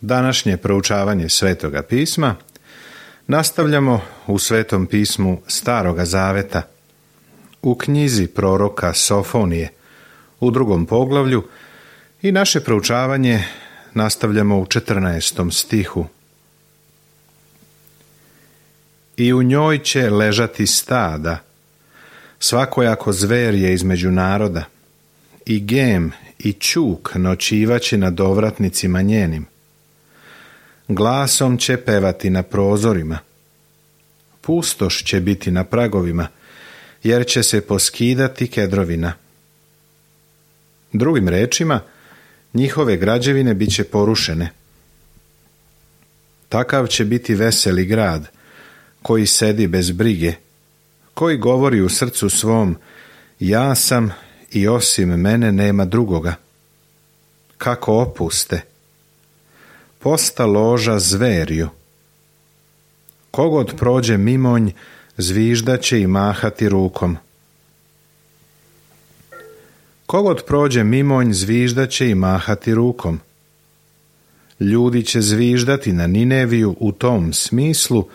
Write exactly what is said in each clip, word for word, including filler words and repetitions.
Današnje proučavanje Svetoga pisma nastavljamo u Svetom pismu Staroga Zaveta, u knjizi proroka Sofonije, u drugom poglavlju, i naše proučavanje nastavljamo u četrnaestom stihu. I u njoj će ležati stada, svakojako zver je između naroda, i gem i ćuk noćivaće nad ovratnicima njenim. Glasom će pevati na prozorima. Pustoš će biti na pragovima, jer će se poskidati kedrovina. Drugim rečima, njihove građevine bit će porušene. Takav će biti veseli grad, koji sedi bez brige, koji govori u srcu svom, ja sam i osim mene nema drugoga. Kako opuste! Posta loža zverju. Kogod prođe mimonj, zviždaće i mahati rukom. Kogod prođe mimonj, zviždaće i mahati rukom. Ljudi će zviždati na Nineviju u tom smislu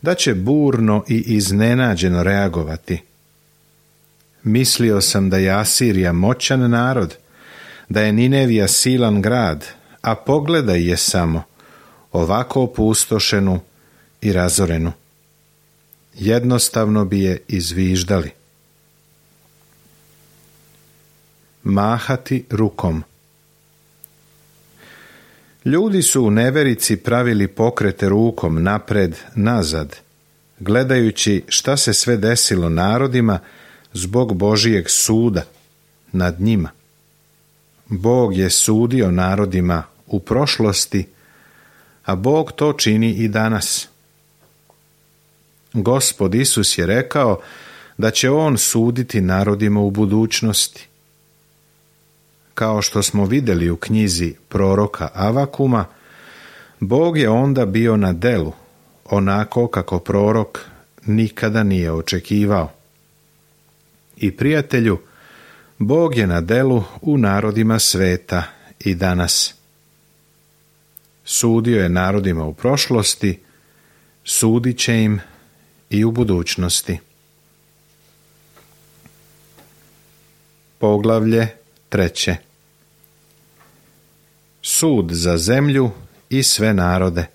da će burno i iznenađeno reagovati. Mislio sam da je Asirija moćan narod, da je Ninevija silan grad, a pogledaj je samo, ovako opustošenu i razorenu. Jednostavno bi je izviždali. Mahati rukom. Ljudi su u neverici pravili pokrete rukom napred, nazad, gledajući šta se sve desilo narodima zbog Božijeg suda nad njima. Bog je sudio narodima u prošlosti, a Bog to čini i danas. Gospod Isus je rekao da će On suditi narodima u budućnosti. Kao što smo vidjeli u knjizi proroka Avakuma, Bog je onda bio na delu, onako kako prorok nikada nije očekivao. I prijatelju, Bog je na delu u narodima sveta i danas. Sudio je narodima u prošlosti, sudit će im i u budućnosti. Poglavlje treće. Sud za zemlju i sve narode.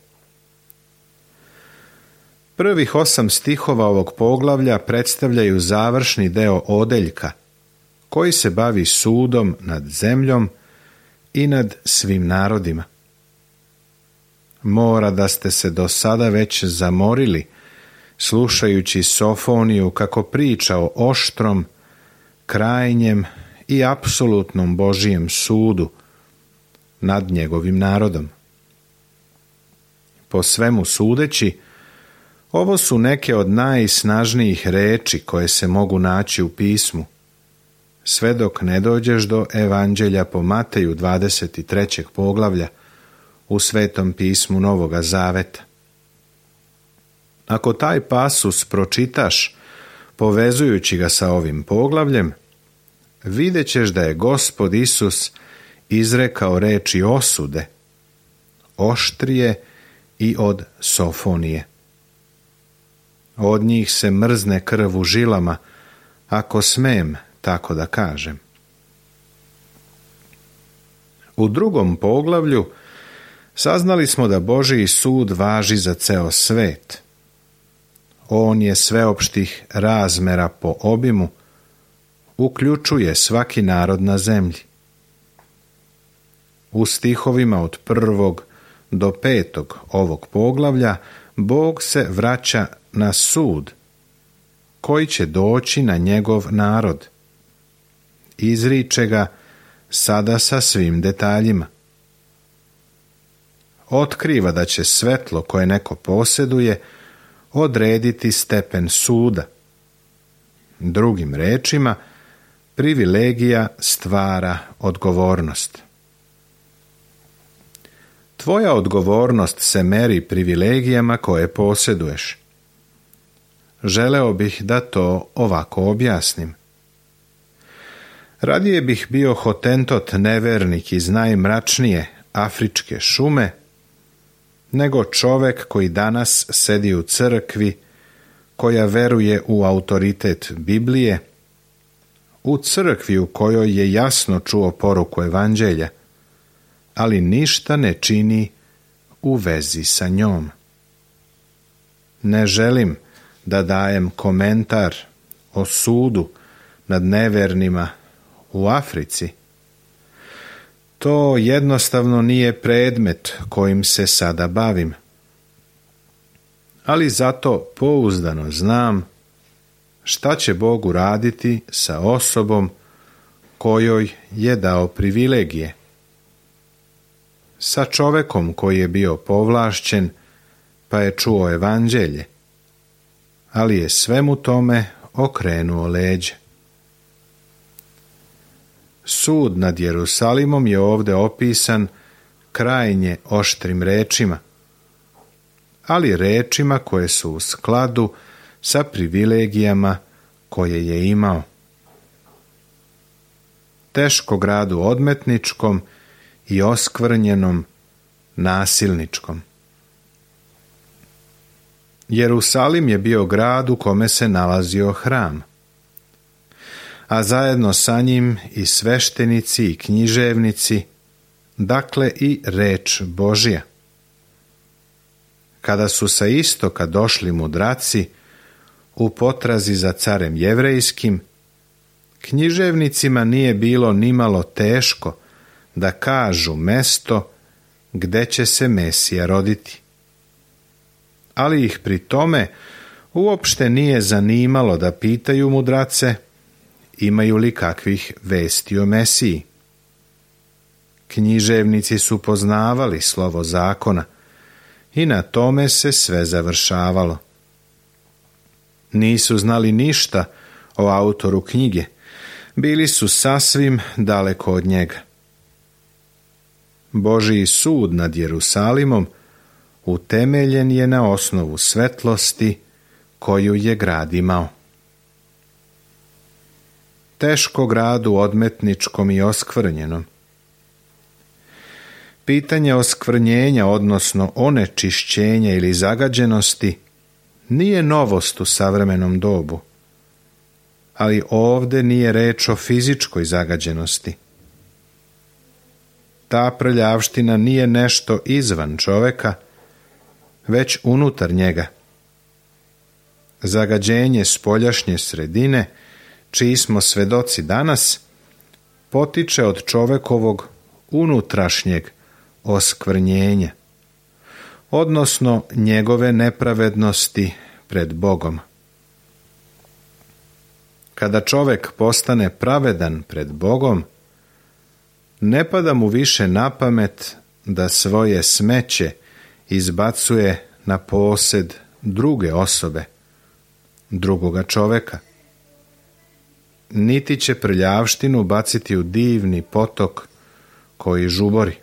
Prvih osam stihova ovog poglavlja predstavljaju završni deo odeljka, koji se bavi sudom nad zemljom i nad svim narodima. Mora da ste se do sada već zamorili, slušajući Sofoniju kako priča o oštrom, krajnjem i apsolutnom Božijem sudu nad njegovim narodom. Po svemu sudeći, ovo su neke od najsnažnijih reči koje se mogu naći u pismu, sve dok ne dođeš do Evanđelja po Mateju dvadeset trećeg poglavlja u Svetom pismu Novoga Zaveta. Ako taj pasus pročitaš, povezujući ga sa ovim poglavljem, vidjet ćeš da je Gospod Isus izrekao reči osude, oštrije i od Sofonije. Od njih se mrzne krv u žilama, ako smem tako da kažem. U drugom poglavlju saznali smo da Božji sud važi za ceo svet. On je sveopštih razmera po obimu, uključuje svaki narod na zemlji. U stihovima od prvog do petog ovog poglavlja Bog se vraća na sud, koji će doći na njegov narod. Izriče ga sada sa svim detaljima. Otkriva da će svetlo koje neko posjeduje odrediti stepen suda. Drugim rečima, privilegija stvara odgovornost. Tvoja odgovornost se meri privilegijama koje posjeduješ. Želeo bih da to ovako objasnim. Radije bih bio Hotentot nevernik iz najmračnije afričke šume, nego čovek koji danas sedi u crkvi, koja veruje u autoritet Biblije, u crkvi u kojoj je jasno čuo poruku evanđelja, ali ništa ne čini u vezi sa njom. Ne želim da dajem komentar o sudu nad nevernima u Africi. To jednostavno nije predmet kojim se sada bavim. Ali zato pouzdano znam šta će Bog uraditi sa osobom kojoj je dao privilegije. Sa čovekom koji je bio povlašćen pa je čuo evanđelje, ali je svemu tome okrenuo leđe. Sud nad Jerusalimom je ovdje opisan krajnje oštrim rečima, ali rečima koje su u skladu sa privilegijama koje je imao. Teško gradu odmetničkom i oskvrnjenom nasilničkom. Jerusalim je bio grad u kome se nalazio hram, a zajedno sa njim i sveštenici i književnici, dakle i reč Božja. Kada su sa istoka došli mudraci u potrazi za carem jevrejskim, književnicima nije bilo nimalo teško da kažu mesto gde će se Mesija roditi. Ali ih pri tome uopšte nije zanimalo da pitaju mudrace imaju li kakvih vesti o Mesiji. Književnici su poznavali slovo zakona i na tome se sve završavalo. Nisu znali ništa o autoru knjige, bili su sasvim daleko od njega. Božji sud nad Jerusalimom utemeljen je na osnovu svetlosti koju je grad imao. Teško gradu odmetničkom i oskvrnjenom. Pitanje oskvrnjenja, odnosno onečišćenja ili zagađenosti, nije novost u savremenom dobu, ali ovdje nije reč o fizičkoj zagađenosti. Ta prljavština nije nešto izvan čoveka, već unutar njega. Zagađenje spoljašnje sredine, čiji smo svedoci danas, potiče od čovekovog unutrašnjeg oskvrnjenja, odnosno njegove nepravednosti pred Bogom. Kada čovek postane pravedan pred Bogom, ne pada mu više na pamet da svoje smeće izbacuje na posed druge osobe, drugoga čoveka. Niti će prljavštinu baciti u divni potok koji žubori.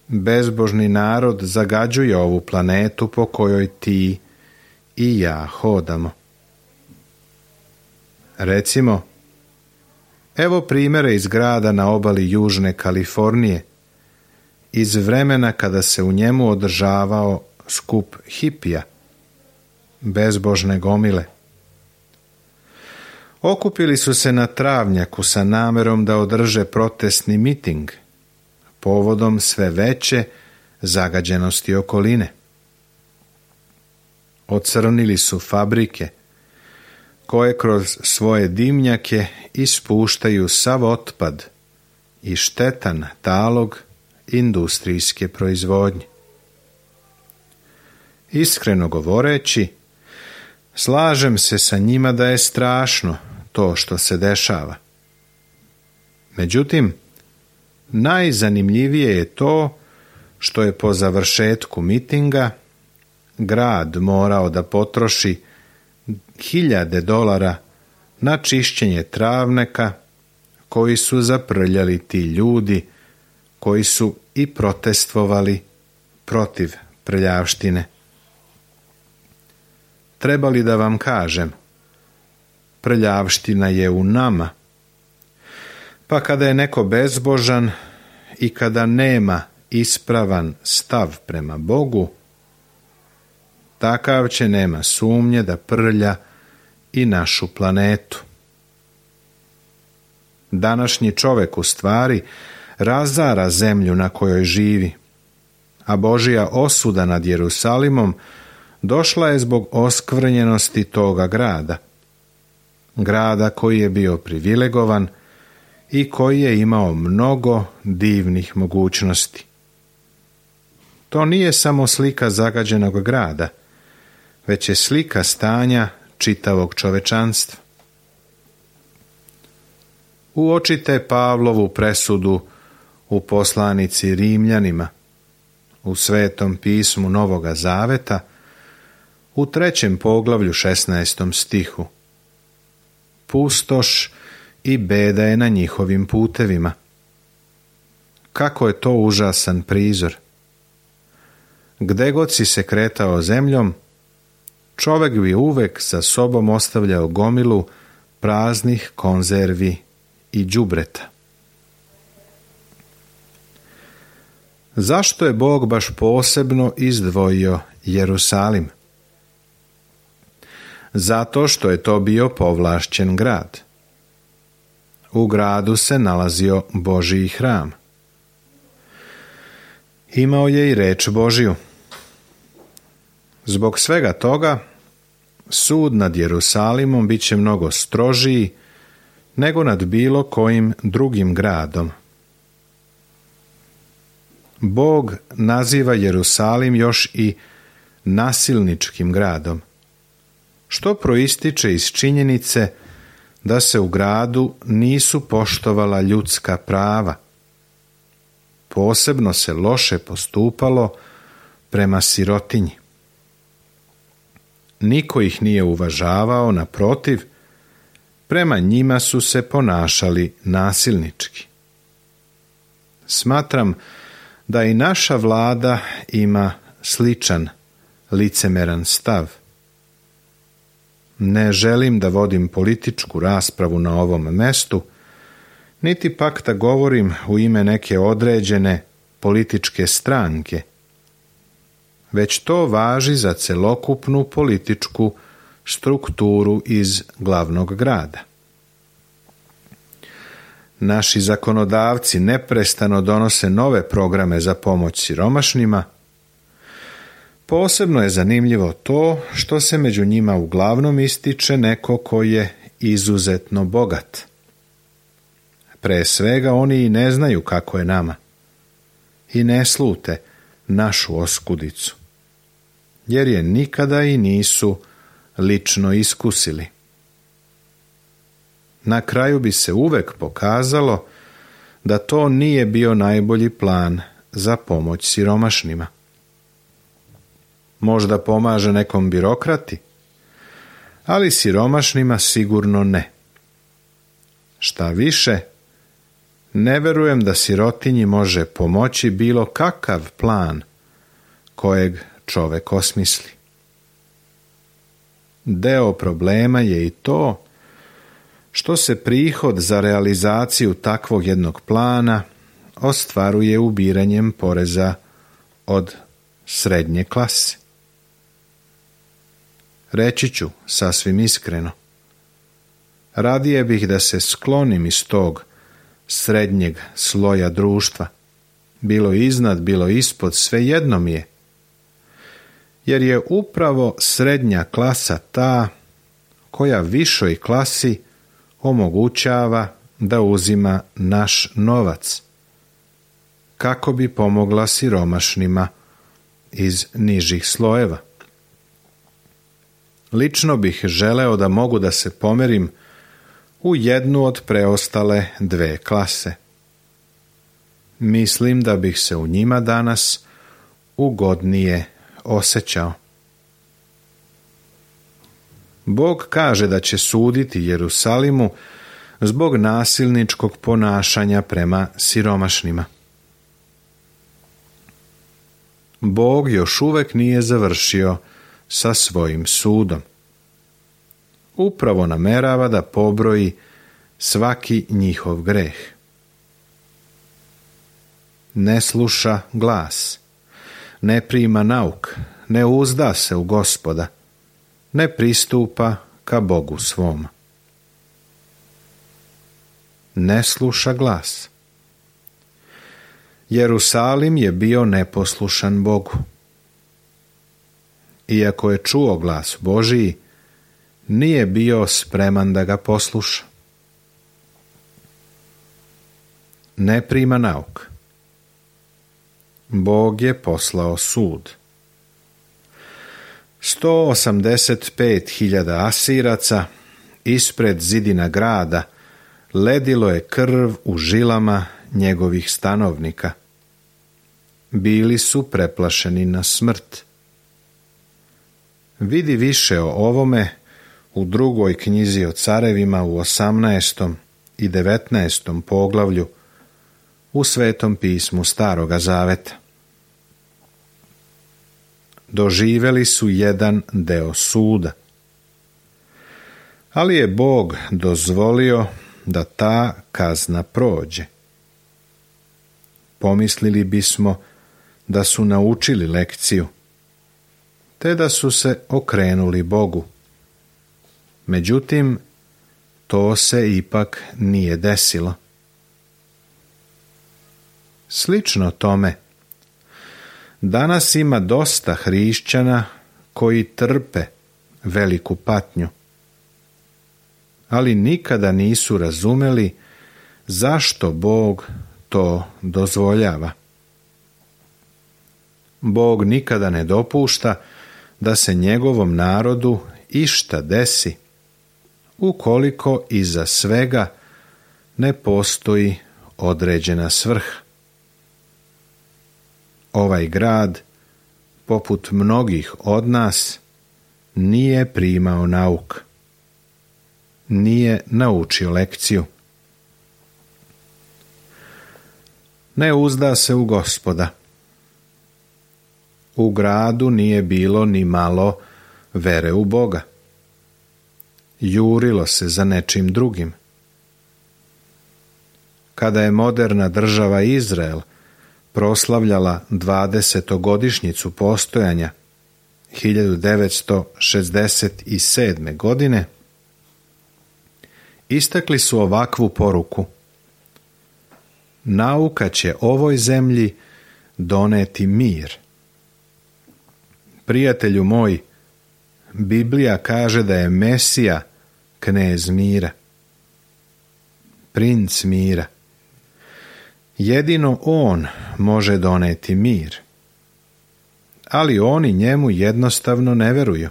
Bezbožni narod zagađuje ovu planetu po kojoj ti i ja hodamo. Recimo, evo primjere iz grada na obali Južne Kalifornije, iz vremena kada se u njemu održavao skup hipija, bezbožne gomile. Okupili su se na travnjaku sa namerom da održe protestni miting, povodom sve veće zagađenosti okoline. Ocrnili su fabrike, koje kroz svoje dimnjake ispuštaju sav otpad i štetan talog industrijske proizvodnje. Iskreno govoreći, slažem se sa njima da je strašno to što se dešava. Međutim, najzanimljivije je to što je po završetku mitinga grad morao da potroši hiljade dolara na čišćenje travnjaka koji su zaprljali ti ljudi koji su i protestvovali protiv prljavštine. Treba li da vam kažem, prljavština je u nama. Pa kada je neko bezbožan i kada nema ispravan stav prema Bogu, takav će, nema sumnje, da prlja i našu planetu. Današnji čovjek u stvari razara zemlju na kojoj živi, a Božja osuda nad Jerusalimom došla je zbog oskvrnjenosti toga grada. Grada koji je bio privilegovan i koji je imao mnogo divnih mogućnosti. To nije samo slika zagađenog grada, već je slika stanja čitavog čovečanstva. Uočite Pavlovu presudu u poslanici Rimljanima, u Svetom pismu Novoga Zaveta, u trećem poglavlju šesnaestom stihu. Pustoš i beda je na njihovim putevima. Kako je to užasan prizor! Gde god si se kretao zemljom, čovjek bi uvek za sobom ostavljao gomilu praznih konzervi i đubreta. Zašto je Bog baš posebno izdvojio Jerusalim? Zato što je to bio povlašćen grad. U gradu se nalazio Božji hram. Imao je i reč Božju. Zbog svega toga, sud nad Jerusalimom bit će mnogo strožiji nego nad bilo kojim drugim gradom. Bog naziva Jerusalim još i nasilničkim gradom, što proističe iz činjenice da se u gradu nisu poštovala ljudska prava. Posebno se loše postupalo prema sirotinji. Niko ih nije uvažavao, naprotiv, prema njima su se ponašali nasilnički. Smatram da i naša vlada ima sličan licemeran stav. Ne želim da vodim političku raspravu na ovom mestu, niti pak da govorim u ime neke određene političke stranke, već to važi za celokupnu političku strukturu iz glavnog grada. Naši zakonodavci neprestano donose nove programe za pomoć siromašnima. Posebno je zanimljivo to što se među njima uglavnom ističe neko ko je izuzetno bogat. Pre svega oni i ne znaju kako je nama i ne slute našu oskudicu, jer je nikada i nisu lično iskusili. Na kraju bi se uvek pokazalo da to nije bio najbolji plan za pomoć siromašnima. Možda pomaže nekom birokrati, ali siromašnima sigurno ne. Šta više, ne verujem da sirotinji može pomoći bilo kakav plan kojeg čovek osmisli. Deo problema je i to što se prihod za realizaciju takvog jednog plana ostvaruje ubiranjem poreza od srednje klase. Reći ću sasvim iskreno, radije bih da se sklonim iz tog srednjeg sloja društva, bilo iznad, bilo ispod, svejedno mi je, jer je upravo srednja klasa ta koja višoj klasi omogućava da uzima naš novac, kako bi pomogla siromašnima iz nižih slojeva. Lično bih želeo da mogu da se pomerim u jednu od preostale dve klase. Mislim da bih se u njima danas ugodnije osjećao. Bog kaže da će suditi Jerusalimu zbog nasilničkog ponašanja prema siromašnima. Bog još uvek nije završio sa svojim sudom. Upravo namerava da pobroji svaki njihov greh. ne sluša glas, ne prima nauk, ne uzda se u Gospoda, ne pristupa ka Bogu svom. Ne sluša glas. Jerusalim je bio neposlušan Bogu. Iako je čuo glas Božiji, nije bio spreman da ga posluša. Ne prima nauk. Bog je poslao sud. sto osamdeset pet hiljada Asiraca ispred zidina grada ledilo je krv u žilama njegovih stanovnika. Bili su preplašeni na smrt. Vidi više o ovome u drugoj knjizi o carevima u osamnaestom i devetnaestom poglavlju u Svetom pismu Staroga Zaveta. Doživeli su jedan deo suda, ali je Bog dozvolio da ta kazna prođe. Pomislili bismo da su naučili lekciju, te da su se okrenuli Bogu. Međutim, to se ipak nije desilo. Slično tome, danas ima dosta hrišćana koji trpe veliku patnju, ali nikada nisu razumeli zašto Bog to dozvoljava. Bog nikada ne dopušta da se njegovom narodu išta desi, ukoliko iza svega ne postoji određena svrha. Ovaj grad, poput mnogih od nas, nije primao nauk. Nije naučio lekciju. Ne uzda se u Gospoda. U gradu nije bilo ni malo vere u Boga. Jurilo se za nečim drugim. Kada je moderna država Izrael proslavljala dvadesetogodišnjicu postojanja hiljadu devetsto šezdeset sedme. godine, istakli su ovakvu poruku: nauka će ovoj zemlji doneti mir. Prijatelju moj, Biblija kaže da je Mesija knez mira, princ mira. Jedino on može doneti mir, ali oni njemu jednostavno ne veruju.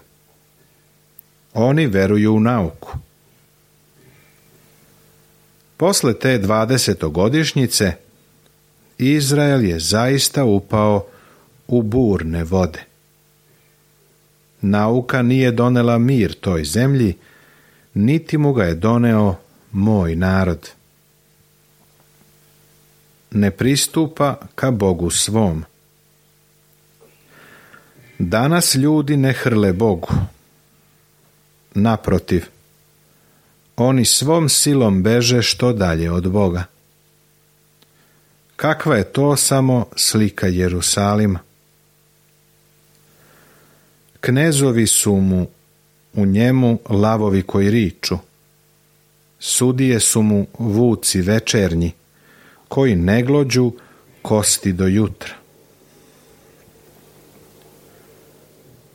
Oni veruju u nauku. Posle te dvadesetogodišnjice Izrael je zaista upao u burne vode. Nauka nije donela mir toj zemlji, niti mu ga je doneo moj narod. Ne pristupa ka Bogu svom. Danas ljudi ne hrle Bogu. Naprotiv, oni svom silom beže što dalje od Boga. Kakva je to samo slika Jerusalima? Knezovi su mu u njemu lavovi koji riču. Sudije su mu vuci večernji, koji ne glođu kosti do jutra.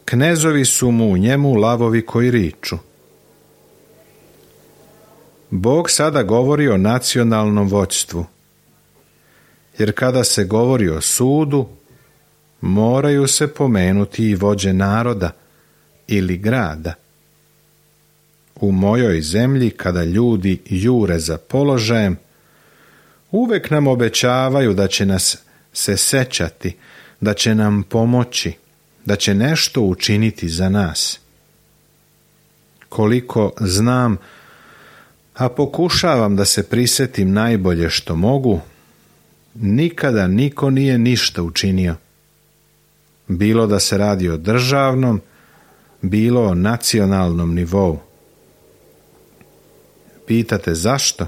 Knezovi su mu u njemu lavovi koji riču. Bog sada govori o nacionalnom vođstvu, jer kada se govori o sudu, moraju se pomenuti i vođe naroda ili grada. U mojoj zemlji, kada ljudi jure za položajem, uvek nam obećavaju da će nas se sećati, da će nam pomoći, da će nešto učiniti za nas. Koliko znam, a pokušavam da se prisetim najbolje što mogu, nikada niko nije ništa učinio. Bilo da se radi o državnom, bilo o nacionalnom nivou. Pitate zašto?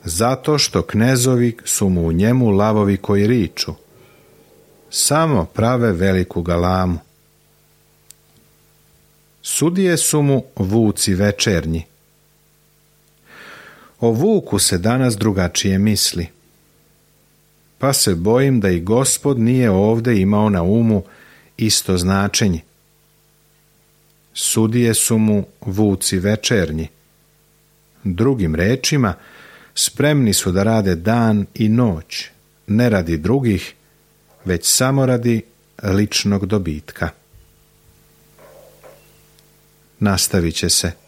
zato što knezovi su mu u njemu lavovi koji riču, samo prave veliku galamu. Sudije su mu vuci večernji. O vuku se danas drugačije misli, pa se bojim da i Gospod nije ovdje imao na umu isto značenje. Sudije su mu vuci večernji. Drugim rečima, spremni su da rade dan i noć, ne radi drugih, već samo radi ličnog dobitka. Nastavit će se.